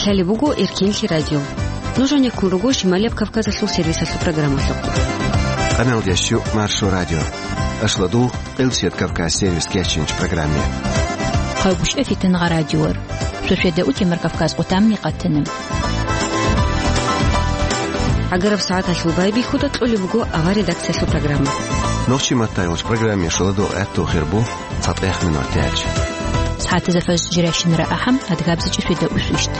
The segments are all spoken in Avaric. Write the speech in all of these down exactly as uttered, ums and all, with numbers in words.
Лъалеб буго Эркенлъи радио. Нуж гьанеккун руго Шималияб Кавказалъул сервисалъул программалъухъ. Къаналдеш чу Маршо радио. Ашладул Къилсият Кавказ сервис кечинч программе. Хъавгушев Фитнагъа радиор. Шошеда утемар Кавказ къутамни къатана. ГӀагараб сагӀаталъул байбихьуда кьолеб буго авар редакциялъул программа. Нохчи маттайолч программе шоладо гӀатту хирбу. ЦатӀехъ минут тяч. СагӀатазда фажр жирашин рагӀахъан, адгабзичӀеб шведа усвищт.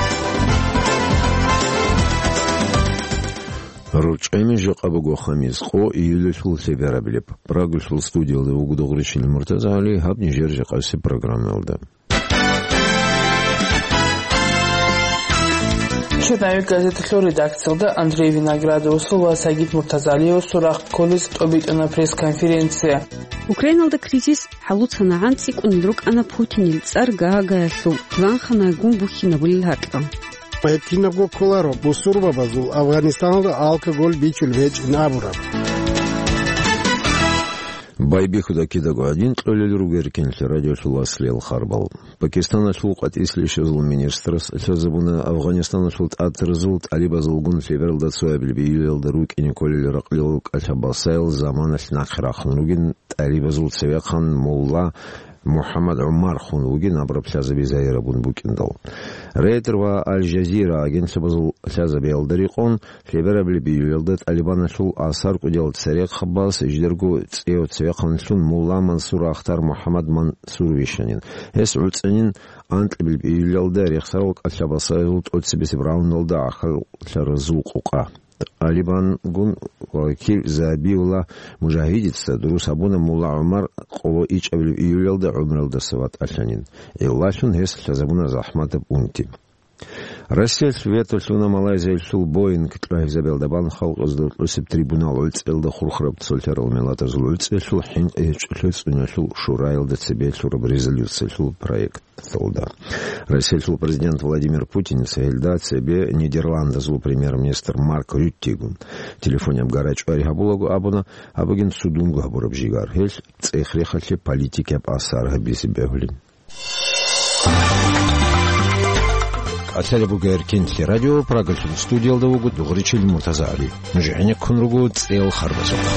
РучӀеми жакъа буго хамис, къо июлалъул лъебераблеб. Прагалъул студиялда вуго Дугъричил МуртазагӀали, гьаб нижер жакъасеб программалда. Черновик газеталъул редакциялда Андрей Виноградовасул ва Сагид Муртазалиевасул рахъ кколез тӀобитӀана пресс-конференция. Украиналда кризис хӀалуцанагӀан цӀикӀкӀунел рукӀана Путинил цӀар Гаагаялъул план ханайгун бухьинабулел гьаркьа. Гьеб кинабго кколаро бусурбабазул Афганистаналда алкоголь бичулеб гьечӀин абураб. Байбихьуда кидаго гьадин кьолел руго Эркенлъи радиолъул аслиял харбал. Пакистаналъул къватӀислъи щвезул министрас лъазабуна Афганистаналъул тӀатаразул тӀалибазулгун лъебералда цоябилеб июлалда рукӀине кколел ракълил кӀалъа-басаял заманалъ нахъе рахъун ругин, тӀалибазул цевехъан мулла МухӀаммад ГӀумар хун вугин абураб лъазаби загьирабун букӀиндал. Рейтер ва Аль-Жазира агентствабазул лъазабиялда рекъон, лъеберабилеб июлалда ТӀалибаналъул асар кӀудиял церехъабаз жидерго цӀеяв цевехъанлъун мулла Мансур Ахтар МухӀаммад Мансур вищанин. Гьес гӀуцӀанин анкьабилеб июлалда рехсарал кӀалъа-басаязул тӀоцебесеб раундалда гӀахьаллъаразул къукъа. ТӀалибангун вакил Забиулла Мужагьидица дурус гьабуна мулла ГӀумар къоло ичӀабилеб июлалда гӀумруялдаса ватӀалъанин. Гьелдалъун гьес лъазабуна захӀматаб унти. Россиялъ вето лъуна Малайзиялъул Боинг кьогьезабиялда бан халкъазда рокьусеб трибунал гӀуцӀиялда хурхараб цолъарал миллатазул гӀуцӀиялъул хӀинкъи гьечӀолъи цӀуниялъул шураялда цебе лъураб резолюциялъул проекталда. Россиялъул президент Владимир Путиница гьелда цебе Нидерландазул премьер-министр Марк Рюттегун телефонияб гарачӀвари гьабулаго абуна, гьаб бугин цудунго гьабураб жигар, гьелъ цӀех-рехалъе политикияб асар гьабизе бегьулин. КӀалъалеб буго Эркенлъи радио, Прагалъул студиялда вуго Дугъричил МуртазагӀали. Нуж гӀенеккун руго цӀеял харбазухъ.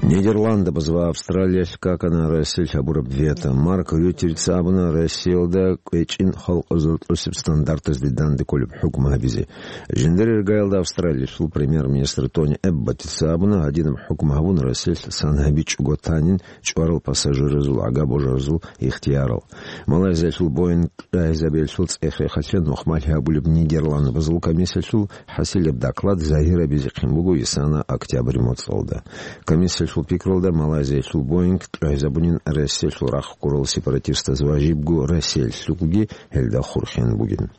Нидерландабаз ва Австралиялъ какана Россиялъ гьабураб вето. Марк Рюттерица абуна Россиялда кӀвечӀин халкъазул тӀосеб стандартазде данде кколеб хӀукму гьабизе. Жиндир иргаялда Австралиялъул премьер-министр Тони Эбботица абуна, гьадинаб хӀукму гьабун Россиялъ сан гьабичӀого танин чӀварал пассажиразул гӀага божаразул ихтиярал. Малайзиялъул Боинг кьогьезабиялъул цӀех-рехалъе нухмалъи гьабулеб Нидерландбазул комиссиялъул хӀасилеб доклад загьирабизехъин буго исана октябрь моцӀалда. Комиссиялъул пикралда, Малайзиялъул Боинг кьогьезабунин Россиялъул рахъ ккурал сепаратистаз ва жибго Россиялъулги гьелда хурхен бугин.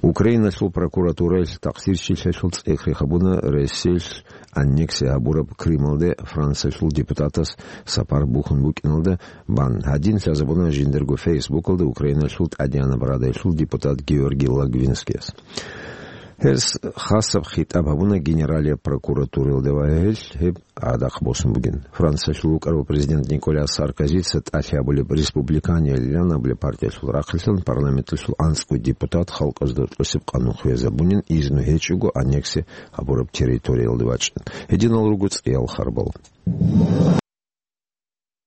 Украиналъул прокуратураялъ такъсирчилъиялъул цӀех-рех гьабуна Россиялъ аннексия гьабураб Крымалде Франциялъул депутатас сапар бухьун букӀиналда бан. Гьадин лъазабуна жиндирго Фейсбукалда Украиналъул ТӀадегӀанаб Радаялъул депутат Георгий Логвинскияс. Гьес хасаб хитӀаб гьабуна Генералияб прокуратуралда ва гьелъ гьеб гӀадахъ босун бугин. Франциялъул вукӀарав президент Николя Саркозица тӀалъи гьабулеб Республиканиял лъан абулеб партиялъул рахъалъан парламенталъул анцӀго депутат халкъазда тӀосеб къанун хвезабунин, изну гьечӀого аннексия гьабураб территориялде вачӀин. Гьединал руго цӀеял харбал.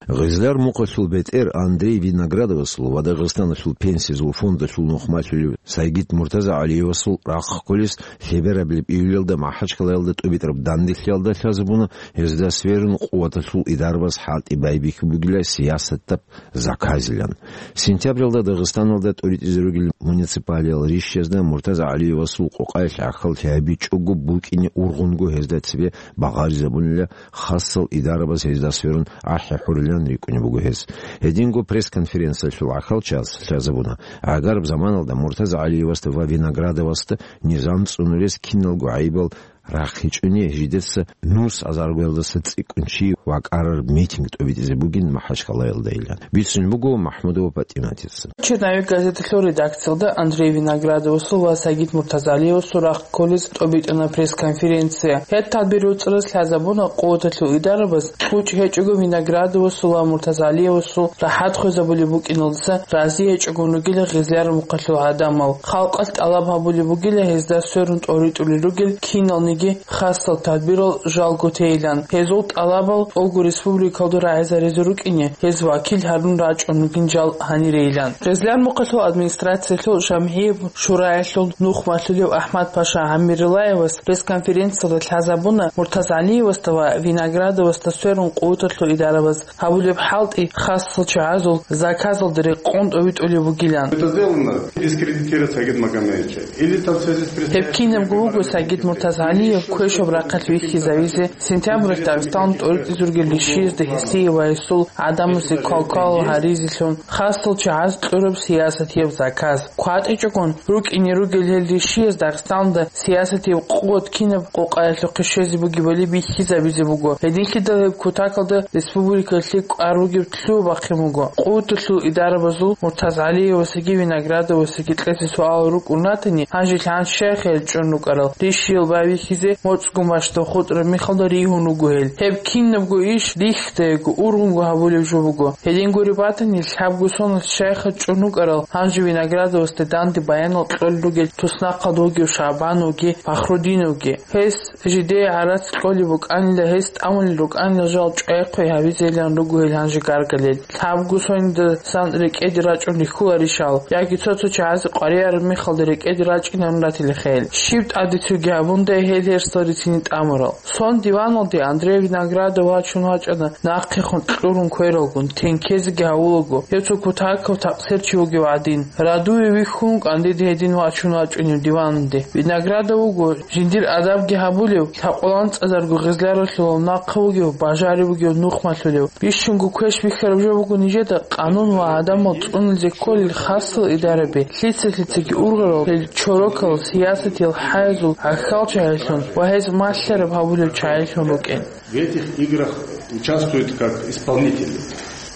Гъезлар мухъалъул бетӀер Андрей Виноградовасул ва Дагъистаналъул пенсиязул фондалъул нухмалъулев Сайгид МуртазагӀалиевасул рахъ кколес лъеберабилеб июлалда МахӀачкъалаялда тӀубитӀараб данделъиялда лъазабуна гьезда сверун къуваталъул идарабаз хӀалтӀи байбихьи бугила сиясатаб заказилан. Сентябралда Дагъистаналда тӀуритӀизе ругел муниципалиял ришшазда МуртазагӀалиевасул къокъаялъ гӀахьаллъи гьабичӀого букӀине ургъунго гьезда цебе багъаризабунила хасал идарабаз гьезда сверун ахӀи хӀурилан рикӀкӀунеб буго гьез. Гьединго пресс-конференциялъул гӀахьалчияс лъазабуна, гӀагараб заманалда МуртазагӀалиевасда ва Виноградовасда низам цӀунулес киналго гӀайибал рахъичӀони жидерса нус азаргоялдаса цӀикӀкӀун чи вакӀарар митинг тӀобитӀизе бугин Махачкалаялдайилан. Бицун буго МахӀмудова ПатӀиматица. «Черновик» газеталъул редакциялда Андрей Виноградовасул ва Сагид Муртазалиевасул рахъ кколез тӀобитӀана пресс-конференция. Гьеб тадбир руцӀарас лъазабуна къуваталъул идарабаз, кьучӀ гьечӀого Виноградовасул ва Муртазалиевасул рахӀат хвезабулеб букӀиналдаса рази гьечӀогун ругила гъезлъараб мухъалъул гӀадамал. Халкъалъ тӀалаб гьабулеб бугила гьезда сверун тӀоритӀулел ругел киналниги хасал тадбирал жалго тейилан. Гьезул тӀалабал тӀолго республикалда рагӀизаризе рукӀине, гьез вакил гьарун рачӀун ругин жал гьанирейилан. Гъезлъар мухъалъул администрациялъул жамгӀияб шураялъул нухмалъулев АхӀмад-паша ГӀаммирилаевас пресс-конференциялда лъазабуна Муртазалиевасда ва Виноградовасда сверун къуваталъул идарабаз гьабулеб хӀалтӀи хасал чагӀазул заказалда рекъон тӀовитӀулеб бугилан. Это сделано дискредитировать Сагида Магомаевича. Или там в связи с предстоящими выборами. Гьеб кинабго буго Сагид Муртазалиев квешаб рахъалъ вихьизавизе, сентябралъ Дагъистаналда тӀоритӀизе ругел ришиязда гьесие ва гьесул гӀадамазе квалквал гьаризелъун, хасал чагӀаз кьураб сиясатияб заказ. КватӀичӀогун рукӀине ругел гьел ришияз Дагъистаналда сиясатияб къуват кинаб къокъаялъухъе щвезе бугебали бихьизабизе буго. Гьединлъидал гьеб кутакалда республикалъе кӀвар бугеб лъугьа-бахъин буго. Къуваталъул идарабазул Муртазалиевасаги Виноградовасаги кьезе суалал рукӀун ратани, гьанже лъан щайха гьел чӀун рукӀарал, ришиял байбихьизе моцӀгун бащдаб хутӀараб мехалда ригьун руго гьел. Гьеб кинабго иш рихьдаего, ургъунго гьабулеб жо буго. Гьедин гуреб батани, лъабго соналъ щайха чӀун рукӀарал, гьанже Виноградовасда данде баянал кьолел ругел туснахъалда вугев ШагӀбановги Фахрудиновги. Гьес жидее гӀарац кьолеб букӀанила, гьес тӀамулел рукӀанила жал чӀвайхъи гьабизейилан руго гьел гьанже гаргалел. Лъабго соналдасан рекӀеде рачӀун рихьуларищал, яги цо-цо чагӀазе къваригӀараб мехалда рекӀеде рачӀинарун ратилаха гьел. Щиб тӀадецуги гьабундай гьел гьерсал рицине тӀамурал. Сон диваналде Андрей Виноградов вачун вачӀана, нахъехун кьурун квералгун, тенкезеги гьавулаго, гьев цо кутакав такъсир чи вугев гӀадин. Радуве вихьун вукӀан дида гьедин вачун вачӀунев диваналде. Виноградов вуго жиндир адабги гьабулев, лъакъуланцӀазарго гъезлъаралъулал нахъа вугев, бажарив вугев нухмалъулев. Бищунго квеш бихьараб жо буго нижеда къанун ва гӀадамал цӀунулзе кколел хасал идараби, лъица-лъицаги ургъарал гьел чорокал сиясатиял хӀаязул гӀахьал чагӀилъун ва гьез малъараб гьабулел чагӀилъун рукӀин. В этих играх участвуют как исполнители.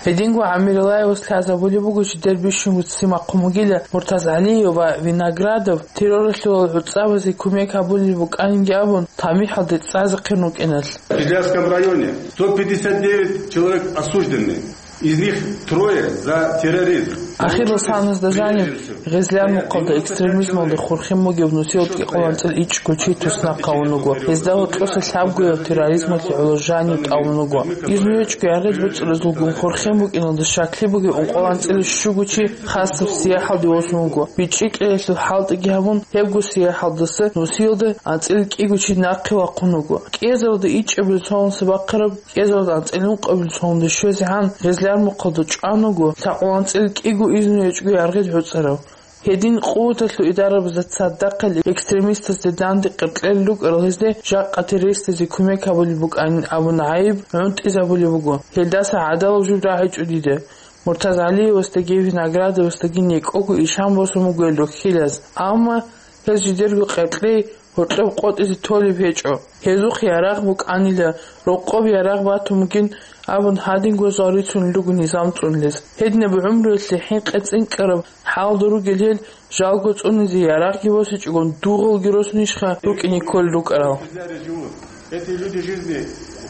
Гьединго ГӀаммирилаевас лъазабулеб буго жидер бищунго ццин бахъун бугила Муртазалиев ва Виноградов терроралъулал гӀуцӀабазе кумек гьабулеб букӀанинги абун, тамихӀалде цӀазехъин рукӀиналъ. В Кизлярском районе сто пятьдесят девять человек осуждены, из них трое за терроризм. Ахирал саназда жанив Гъезлъар мухъалда экстремизмалда хурхин бугев нусиялда кӀикъоялда анцӀила ичӀго чи туснахъ гьавун вуго. Гьезда гьоркьоса лъабгояв терроризмалъе гӀоло жанив тӀамун вуго. Изну гьечӀго яргъил гӀуцӀразулгун хурхин букӀиналда щаклъи бугев ункъоялда анцӀила щуго чи хасаб сияхӀалде восун вуго. БичӀчӀи кьеялъул хӀалтӀиги гьабун, гьебго сияхӀалдаса нусиялда анцӀила кӀиго чи нахъе вахъун вуго. КӀиазаралда ичӀабилеб цоналдаса бахъараб, кӀиазаралда анцӀила ункъабилеб цоналде щвезегӀан Гъезлъар мухъалда чӀван вуго лъакъул анцӀила кӀиго изну гьечӀго яргъил гӀуцӀарав. Гьедин къуваталъул идарабазда цадахъ экстремистазде данде къеркьел рукӀарал гьезде жакъа террористазе кумек гьабулеб букӀанин абун гӀайиб гӀунтӀизабулеб буго. Гьелдаса гӀадалаб жо рагӀичӀо дида. Муртазалиевасдаги Виноградовасдаги некӀого ишан босун буго гьел рохьилаз. Амма гьез жидерго къеркьей гьоркьоб къотӀизе толеб гьечӀо. Гьезухъ ярагъ букӀанила, рокъоб ярагъ батун бугин абун гьадинго жал рицунел руго низам цӀунулез. Гьединаб гӀумруялъе хӀинкъи цӀинкӀкӀараб хӀалда ругел гьел жалго цӀунизе ярагъги босичӀогон дугъалги росунищха рукӀине кколел рукӀарал? Эти люди жизни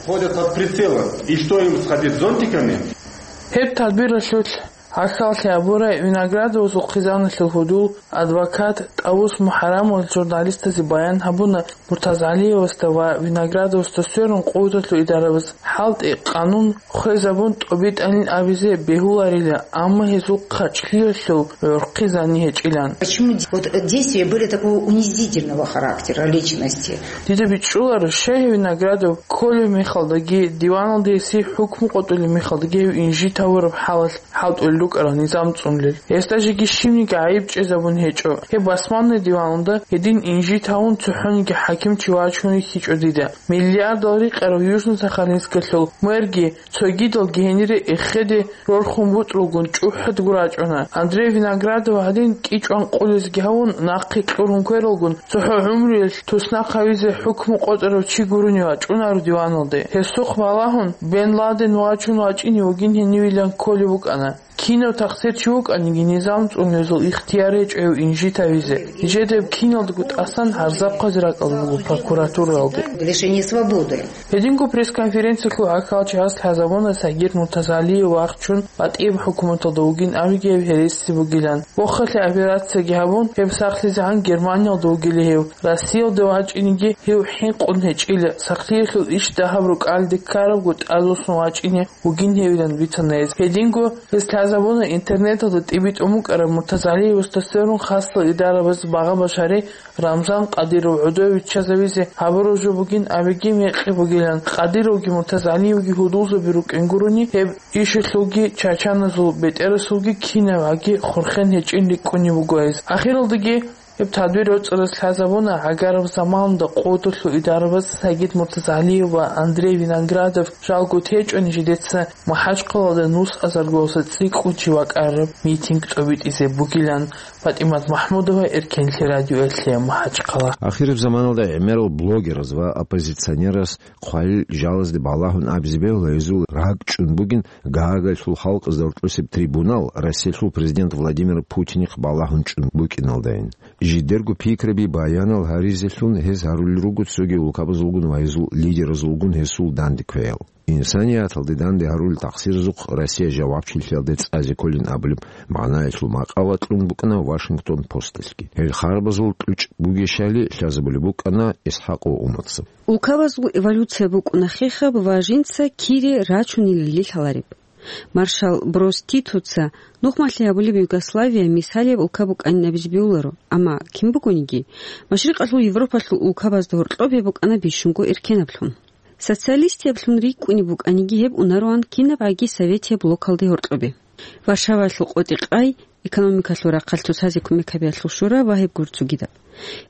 ходят под прицелом. И что им сходить зонтиками? Гьеб тадбиралъулъ гӀахьаллъи гьабурай Виноградовасул хъизаналъул гьудул адвокат ТӀавус МухӀарамовас журналистазе баян гьабуна, Муртазалиевасда ва Виноградовасда сверун къуваталъул идарабаз хӀалтӀи, къанун хвезабун тӀобитӀанин абизе бегьуларила, амма гьезул хъачӀлъиялъул гӀурхъи зани гьечӀилан. Почему вот действия были такого унизительного характера личности? Дида бичӀчӀуларо, щай гьев Виноградов кколеб мехалдаги, диваналде гьесие хӀукму къотӀулеб мехалдаги гьев инжит гьавураб хӀалалъ хӀалтӀулел букӀараб низам цӀунулел. Гьесда жеги щибниги гӀайиб чӀезабун гьечӀо. Гьеб басманлъи диваналда гьедин инжит гьавун цохӀониги хӀакимчи вачун рихьичӀо дида. Миллиардал рикъарав Южно-Сахалинскалъул мэрги цогидалги гьенире эхеде рорхун бутӀрулгун чӀухӀадго рачӀуна. Андрей Виноградов гьадин кӀичӀван къулезги гьавун, нахъе кьурун квералгун, цохӀо гӀумруялъ туснахъ гьавизе хӀукму къотӀарав чи гурони вачӀунаро диваналде. Гьесухъ балагьун, Бен Ладен вачун вачӀине вугин гьенивилан кколеб букӀана. Кинав тахсир чи вукӀаниги, низам цӀунулезул ихтияр гьечӀо гьев инжит гьавизе. Нижеда гьеб киналдаго тӀасан гӀарзаб хъвазе ракӀалда буго прокуратуралде. Лишение свободы. Гьединго пресс-конференциялъул гӀахьалчагӀаз лъазабуна Сагид Муртазалиев вахчун БатӀияб хӀукуматалда вугин абиги гьеб гьереси бугилан. Вохалъе операцияги гьабун, гьеб сахлъизегӀан Германиялда вугила гьев. Россиялде вачӀинеги гьев хӀинкъун гьечӀила, сахлъиялъул иш дагьаб рукӀалде ккарабго тӀадвуссун вачӀине вугин гьевилан бицана гьез. Гьединго гьес лъазабуна интернеталда тӀибитӀун букӀараб Муртазалиевасда сверун хасал идарабаз багъа-башари Рамзан Къадиров гӀодове виччазавизе гьабураб жо бугин абиги мекъи бугилан, Къадировги Муртазалиевги гьудулзаби рукӀин гурони, гьеб ишалъулги чачаназул бетӀерасулги кинабгӀаги хурхен гьечӀин рикӀкӀунеб буго гьез. Ахиралдаги гьеб тадбир роцӀараз лъазабуна гӀагараб заманалда къодулъул идарабаз Сагид Муртазалиев ва Андрей Виноградов жалго течӀони жидеца МахӀачхъалаялда нус азаргоялдаса цӀикӀкӀун чи вакӀараб митинг тӀобитӀизе бугилан. ПатӀимат МахӀмудова, Эркенлъи радиоялъе, МахӀачхъала. Ахираб заманалда гӀемерал блогераз ва оппозиционераз хъвалил жалазде балагьун абизе бегьула гьезул ракӀчӀун бугин Гаагаялъул халкъазда рокьулъеб трибунал Россиялъул президент Владимир Путинихъ балагьун чӀун букӀиналдайин. Жидерго пикраби баянал гьаризелъун гьез гьарулел руго цоги улкабазулгун ва гьезул лидеразулгун гьесул данде квеял. Инсанияталде данде гьарулел тахсиразухъ Россия жавабчилъиялде цӀазе кколин абулеб магӀнаялъул макъала кьун букӀана Вашингтон Посталъги. Гьел харбазул кьучӀ бугещали лъазабулеб букӀана Исхакъ ва Умарца. Улкабазул эволюция букӀуна хехаб ва жинца кире рачунилали лъалареб. Маршал Брос Титоца нухмалъи гьабулеб Югославия мисалияб улка букӀанин абизе бегьуларо, амма кин бугониги, Машрикъалъул Европалъул улкабазда гьоркьоб гьеб букӀана бищунго эркенаблъун. Социалистияблъун рикӀкӀунеб букӀаниги, гьеб унароан кинабгӀаги советияб блокалде гьоркьобе. Варшаваялъул къотӀи-къай, экономикалъул рахъалъ цоцазе кумек гьабиялъул шура ва гьеб гур цогидаб.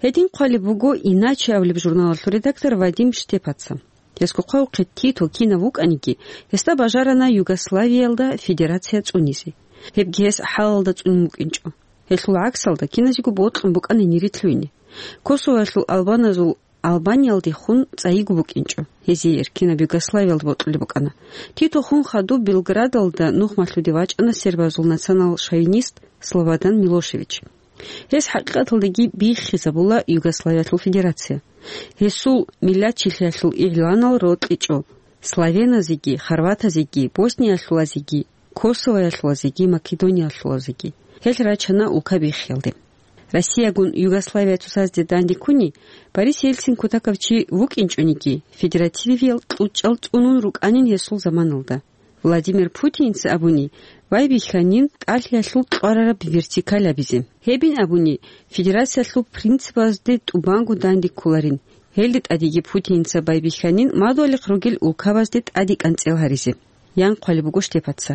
Гьедин хъвалеб буго «Иначе» абулеб журналалъул редактор Вадим Штепаца. Гьесго хъвавухъе, Тито кинав вукӀаниги, гьесда бажарана Югославиялда федерация цӀунизе. Гьебги гьес хӀалалда цӀунун вукӀинчӀо. Гьелъул гӀаксалда киназего бокьун букӀана гьенире лъугьине. Косовоялъул албаназул Албаниялдехун цӀайиго букӀинчӀо, гьезие эркинаб Югославиялда бокьулеб букӀана. Тито хун хадуб Белградалда нухмалъуде вачӀана сербазул национал-шовинист Слободан Милошевич. Гьес хӀакъикъаталдаги биххизабула Югославиялъул федерация. Гьесул миллатчилъиялъул игъланал рокьичӀо славеназеги, хорватазеги, босниялъулазеги, косовоялъулазеги, македониялъулазеги. Гьел рачана улка биххиялде. Россиягун Югославия цоцазде данде ккуни, Борис Ельцин кутакав чи вукӀинчӀониги, федеративиял кьучӀал цӀунун рукӀанин гьесул заманалда. Владимир Путинца абуни, байбихьанин тӀалъиялъул кьварараб вертикаль абизе. Гьебин абуни, федерациялъул принципазде тӀубанго данде кколарин. Гьелде тӀадеги Путинца байбихьанин мадугьалихъ ругел улкабазде тӀаде кӀанцӀил гьаризе. Ян хъвалеб буго Штепаца.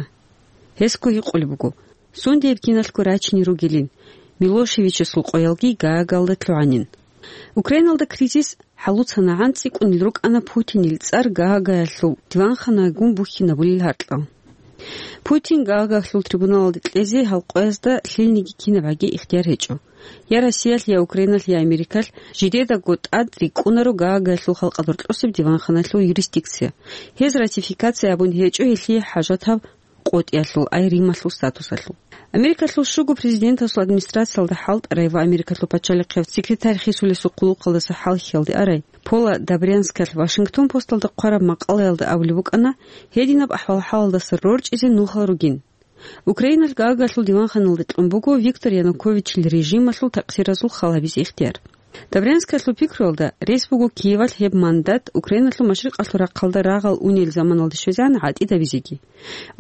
Гьесго гьикъулеб буго, сундияб киналъго рачине ругелин, Милошевичасул къоялги Гаагалда лъугӀанин. Украиналда кризис хӀалуцанагӀан цӀикӀкӀунел рукӀана Путинил цӀар Гаагаялъул диванханагун бухьинабулел гьаркьал. Путин Гаагаялъул трибуналалде кьезе гьал къоязда лъилниги кинабгӀаги ихтияр гьечӀо. Я Россиялъ, я Украиналъ, я Америкалъ жидедаго тӀад рикӀкӀунаро Гаагаялъул халкъалда рокьосеб диванханалъул юрисдикция. Гьез ратификация абун гьечӀо гьелъие хӀажатаб къотӀиялъул, ай Рималъул статусалъул. Америкалъул щуго президентасул администрациялда хӀалтӀарай ва Америкалъул пачалихъияв секретарь хисулесул хъулухъалдаса хӀалхьиялде арай Пола Добрянскалъ Вашингтон Посталда хъвараб макъалаялда абулеб букӀана, гьединаб ахӀвал-хӀалалдаса рорчӀизе нухал ругин. Украиналъ Гаагаялъул диванханалда кьун буго Виктор Януковичил режималъул такъсиразул хал гьабизе ихтияр. Добрянскалъул пикруялда, рес буго Киевалъ гьеб мандат Украиналъул машрикъалъул рахъалда рагъал унел заманалде щвезегӀан гӀатӀидабизеги.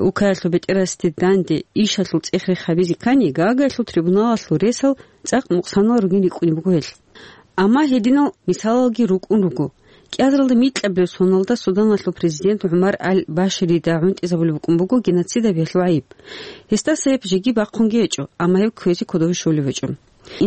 Улкаялъул бетӀерасде данде ишалъул цӀех-рех гьабизе ккани, Гаагаялъул трибуналалъул ресал цӀакъ нукъсанал ругин рикӀкӀунеб буго гьелъ. Амма гьединал мисалалги рукӀун руго. КӀиазаралда микьабилеб соналда Суданалъул президент ГӀумар аль-Баширида гӀунтӀизабулеб букӀун буго геноцид гьабиялъул гӀайиб. Гьесдаса гьеб жеги бахъунги гьечӀо, амма гьев кквезе кодове щолев гьечӀо.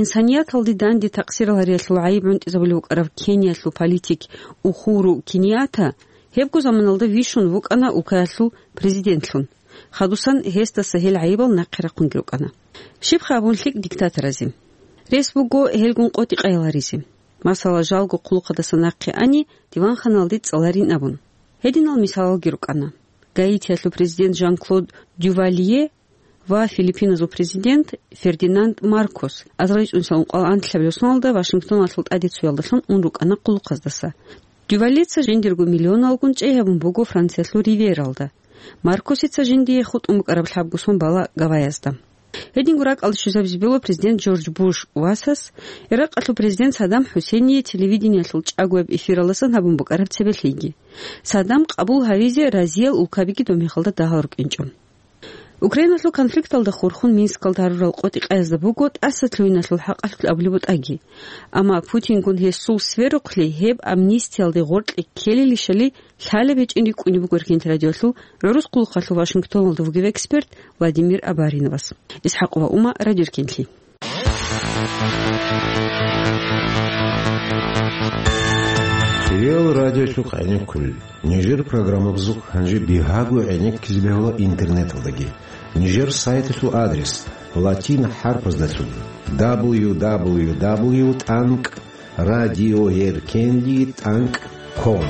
Инсанияталде данде такъсирал гьариялъул гӀайиб гӀунтӀизабулев вукӀарав Кениялъул политик Ухуру Кениятта гьебго заманалда вищун вукӀана улкаялъул президентлъун. Хадусан гьесдаса гьел гӀайибал нахъе рахъунги рукӀана. Щибха абун лъикӀ диктаторазе? Рес буго гьелгун къотӀи къайгъаризе. Масала, жалго хъулухъадаса нахъе ани, диванханалде цӀаларин абун. Гьединал мисалалги рукӀана. Гаитиялъул президент Жан-Клод Дювалье ва Филиппиназул президент Фердинанд Маркос азарилчӀунсал ункъоялда анлъабилеб соналда Вашингтоналъул тӀаде цоялдалъун ун рукӀана хъулухъаздаса. Дювалеца жиндирго миллионалгун чӀей гьабун буго Франциялъул Ривьералда. Маркосица жиндие хутӀун букӀараб лъабго сон бала Гавайязда. Гьединго ракӀалде щвезабизе бегьула президент Джордж Буш васас Иракъалъул президент Саддам ХӀусейние телевидениялъул чӀагояб эфиралдасан гьабун букӀараб цебе лъиги. Саддам къабул гьавизе разиял улкабиги доб мехалда дагьал рукӀинчӀо. Украиналъул конфликталда хурхун Минскалда гьарурал къотӀи къайгъазда буго тӀаса лъугьиналъул хӀакъалъулъ абулеб бутӀаги. Амма Путингун гьесул сверухъли гьеб амнистиялде гъоркье ккелилищали лъалеб гьечӀин рикӀкӀунеб буго Эркенлъи радиоялъул гӀурус хъулухъалъул Вашингтоналда вугев эксперт Владимир Абариновас. ИсхӀакъова Ума, Радио Эркенлъи. Риал радиолъухъ гӀенеккулел. Нижер программабазухъ гьанже бигьаго гӀенеккизе бегьула интернеталдаги. Нижер сайталъул адрес латин хӀарпаздалъун: дабл ю дабл ю дабл ю тӀанкӀ радиоеркенлъи тӀанкӀ ком.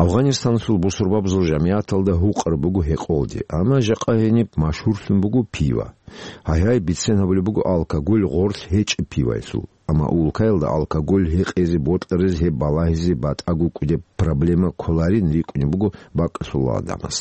Афгъанистаналъул бусурбабазул жамигӀаталда гьукъар буго гьекъолде, амма жакъа гьениб машгьурлъун буго пива. Гьайгьай, бицен гьабулеб буго алкоголь гъорлъ гьечӀеб пиваялъул. Амма улкаялда алкоголь гьекъезе бокьаризе гьеб балагьизе батӀаго кӀудеб проблема кколарин рикӀкӀунеб буго бакӀалъулал гӀадамаз.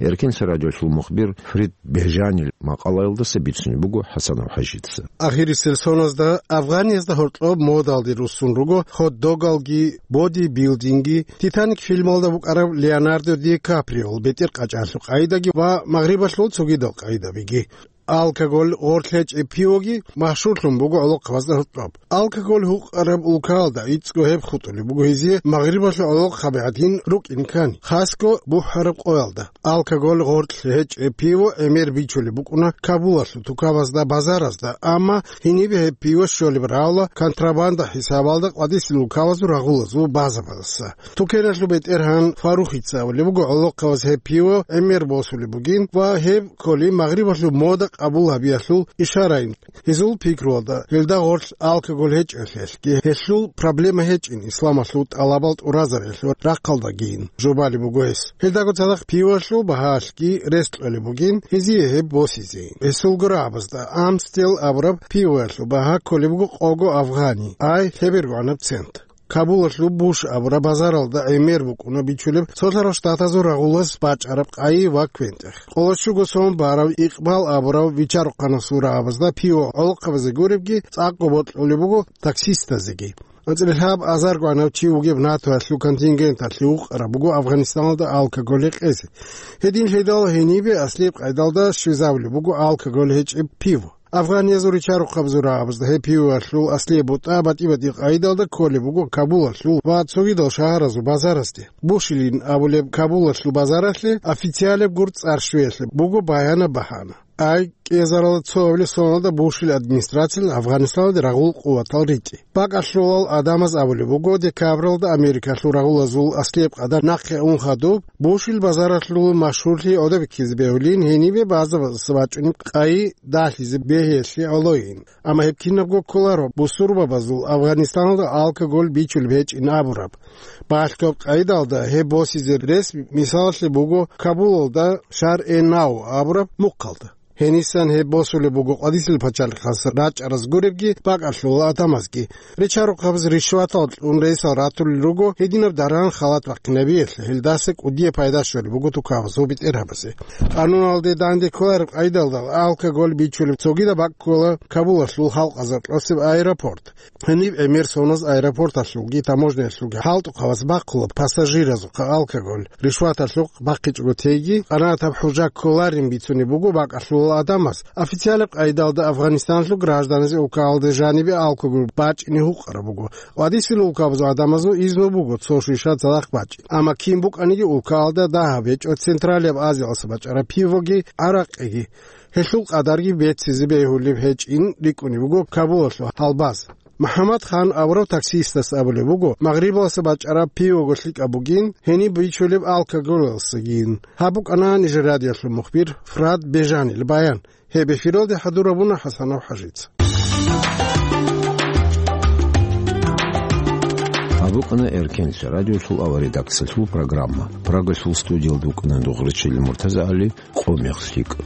Эркенлъи радиолъул мухбир Фрид Бежанил макъалаялдаса бицунеб буго ХӀасанов ХӀажица. Ахирисел соназда Афгъаниязда гьоркьоб модалде руссун руго хот-догалги, бодибилдинги, Титаник фильмалда букӀараб Леонардо Ди Каприол бетӀер къачӀалъул къайдаги ва магърибалъул цогидал къайдабиги. Алкоголь гъорлъ гьечӀеб пивоги машгьурлъун буго гӀолохъабазда гьоркьоб. Алкоголь гьукъараб улкаялда гӀицӀго гьеб хутӀулеб буго гьезие магърибалъул гӀолохъаби гӀадин рукӀин ккани, хасго бухӀараб къоялда. Алкоголь гъорлъ гьечӀеб пиво гӀемер бичулеб букӀуна Кабулалъул тукабазда, базаразда, амма гьенибе гьеб пиво щолеб равла контрабанда хӀисабалда къвадисел улкабазул рагъулазул базабаздаса. Тукеналъул бетӀергьан Фарухица абулеб буго, гӀолохъабаз гьеб пиво гӀемер босулеб бугин ва гьеб кколи магърибалъул мода къабул гьабиялъул ишарайин. Гьезул пикруялда, гьелда гъорлъ алкоголь гьечӀелъелъги, гьелъул проблема гьечӀин исламалъул тӀалабал тӀуразариялъул рахъалдагийин жубалеб буго гьес. Гьелдаго цадахъ пивалъул багьалъги рес кьолеб бугин гьезие гьеб босизе. Гьесул гурабазда Амстел абураб пивоялъул багьа кколеб буго къого афгъани, ай лъебергогӀанаб цент. Кабулалъул Буш абураб базаралда гӀемер букӀуна бичулеб Цолъарал Штатазул рагъулаз бачӀараб къайи ва квен-тӀех. Къоло щуго сом барав Икъбал абурав вичарухъанасул рагӀабазда пиво гӀолохъабазе гуребги цӀакъго бокьулеб буго таксистазеги. АнцӀила лъабазаргогӀанав чи вугеб НАТОялъул контингенталъе вукъараб буго Афгъанистаналда алкоголь гьекъезе. Гьединлъидал гьенибе аслияб къайдалда щвезабулеб буго алкоголь гьечӀеб пиво. Афгъаниязул ричарухъабазул рагӀабазда гьеб пивоялъул аслияб бутӀа батӀи-батӀи къайдалда кколеб буго Кабулалъул ва цогидал шагьаразул базарасде. Бушилин абулеб Кабулалъул базаралъе официалеб гур цӀар щвеялъе буго баянаб багьана. Ай кӀиазарал цо гьабилеб соналда Бушил администрациялъ Афгъанистаналде рагъул къуватал ритӀи. Бакъалъулал гӀадамаз абулеб буго, декабралда Америкалъул рагъулазул аслияб къадар нахъе ун хадуб, Бушил базаралъул машгьурлъи гӀодобиккизе бегьулин гьенибе базабаздаса бачӀунеб къайи далъизе бегьиялъе гӀолойин. Амма гьеб кинабго кколаро бусурбабазул Афгъанистаналда алкоголь бичулеб гьечӀин абураб. Балъгояб къайдалда гьеб босизе рес мисалалъе буго Кабулалда Шар-э-Нав абураб мухъалда. Гьенисан гьеб босулеб буго къвадисел пачалихъас рачӀараз гуребги, бакӀалъулал гӀадамазги. Ричарухъабаз ришватал кьун ресал ратулел руго гьединаб даран халат бахъинабиялъе, гьелдаса кӀудияб пайда щолеб буго тукабазул бетӀергьабазе. Къануналде данде кколареб къайдалда алкоголь бичулеб цогидаб бакӀ ккола Кабулалъул халкъазаркьосеб аэропорт. Гьениб гӀемер соназ аэропорталъулги таможняялъулги хӀалтӀухъабаз бахъула пассажиразухъа алкоголь, ришваталъухъ бахъичӀого теги, къанагӀатаб хӀужа кколарин бицунеб буго бакӀалъулал Адамас официалаб къайдалда Афганистаналъул гражданазе улкаялде жанибе алкогол бачӀине гьукъараб буго. Ва дисил улкабазул адамазул изну буго цо шиша цадахъ бачӀин. Амма кин букӀаниги улкаялда дагьаб гьечӀо Централияб Азиялъа бачӀараб пивоги, гӀаракъиги. Гьелъул къадарги беццизе бегьулеб гьечӀин рикӀкӀунеб буго Кабулалъул гьалбаз. МухӀаммад Хан аварав таксистас абулеб буго, Магърибалъа бачӀараб пивого лъикӀаб бугин, гьениб бичулеб алкоголалъагин. Гьаб букӀана Нижер радиолъул мухбир Фрад Бежанил баян. Гьеб эфиралде хӀадурабуна ХӀасанов ХӀажица. Гьаб букӀана Эркенлъа радиолъул авария редакциялъул программа. Прагалъул студиялда вукӀана Дугърачил МуртазагӀали, къо мех лъикӀ.